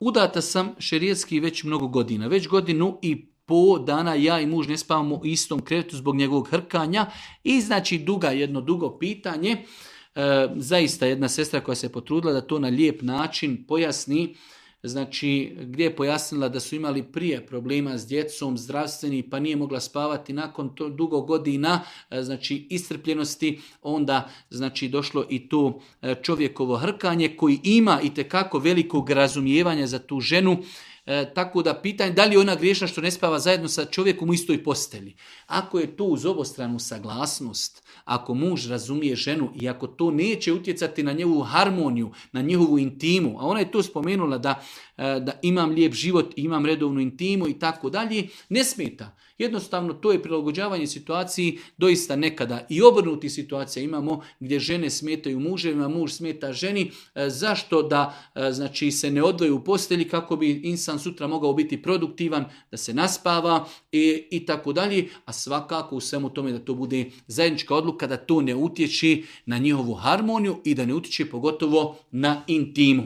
udata sam šerijatski već mnogo godina, već godinu i po dana ja i muž ne spavamo u istom krevetu zbog njegovog hrkanja i znači jedno dugo pitanje. Zaista jedna sestra koja se potrudila da to na lijep način pojasni, znači gdje je pojasnila da su imali prije problema s djecom, zdravstveni, pa nije mogla spavati nakon to dugo godina, znači iscrpljenosti, onda znači došlo i to čovjekovo hrkanje koji ima itekako velikog razumijevanja za tu ženu. Tako da pitanje da li je ona griješna što ne spava zajedno sa čovjekom u istoj postelji. Ako je to uz obostranu saglasnost, ako muž razumije ženu i ako to neće utjecati na njegovu harmoniju, na njegovu intimu, a ona je to spomenula da imam lijep život, imam redovnu intimu i tako dalje, ne smeta. Jednostavno to je prilagođavanje situaciji, doista nekada i obrnuti situacija imamo gdje žene smetaju muževima, muž smeta ženi. Zašto da znači se ne odvoje u postelji kako bi insan sutra mogao biti produktivan, da se naspava i tako dalje, a svakako u svemu tome da to bude zajednička odluka, da to ne utječe na njihovu harmoniju i da ne utječe pogotovo na intimu.